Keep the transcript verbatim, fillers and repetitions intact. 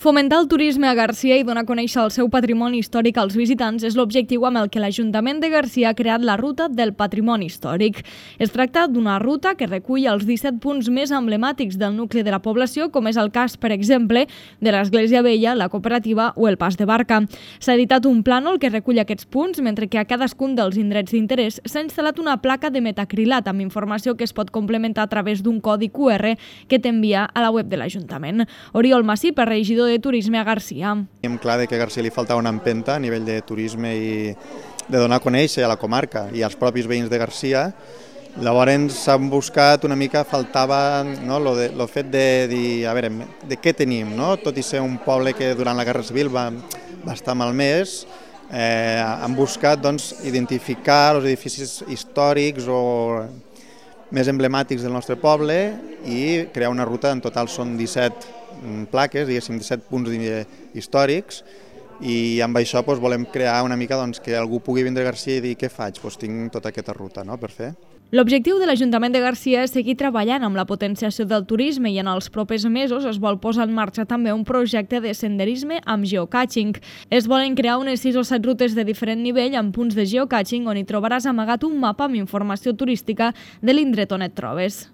Fomentar el turisme a Garcia i donar a conèixer el seu patrimoni històric als visitants és l'objectiu amb el que l'Ajuntament de Garcia ha creat la Ruta del Patrimoni Històric. Es tracta d'una ruta que recull els disset punts més emblemàtics del nucli de la població, com és el cas, per exemple, de l'Església Vella, la Cooperativa o el Pas de Barca. S'ha editat un plànol que recull aquests punts, mentre que a cadascun dels indrets d'interès s'ha instal·lat una placa de metacrilat amb informació que es pot complementar a través d'un codi cu erre que t'envia a la web de l'Ajuntament. Oriol Massip, regidor de Turisme a Garcia. Tenim clar que a Garcia li faltava una empenta a nivell de turisme i de donar a conèixer a la comarca i als propis veïns de Garcia. Llavors s'han buscat una mica, faltava no, lo, de, lo fet de dir, a veure, de què tenim, no? Tot i ser un poble que durant la Guerra Civil va, va estar malmès, eh, han buscat doncs, identificar els edificis històrics o més emblemàtics del nostre poble i crear una ruta. En total són disset plaques, diguéssim, disset punts històrics, i amb això doncs, volem crear una mica doncs, que algú pugui vindre a Garcia i dir què faig, doncs, tinc tota aquesta ruta no, per fer. L'objectiu de l'Ajuntament de Garcia és seguir treballant amb la potenciació del turisme i en els propers mesos es vol posar en marxa també un projecte de senderisme amb geocaching. Es volen crear unes sis o set rutes de diferent nivell amb punts de geocaching on hi trobaràs amagat un mapa amb informació turística de l'indret on et trobes.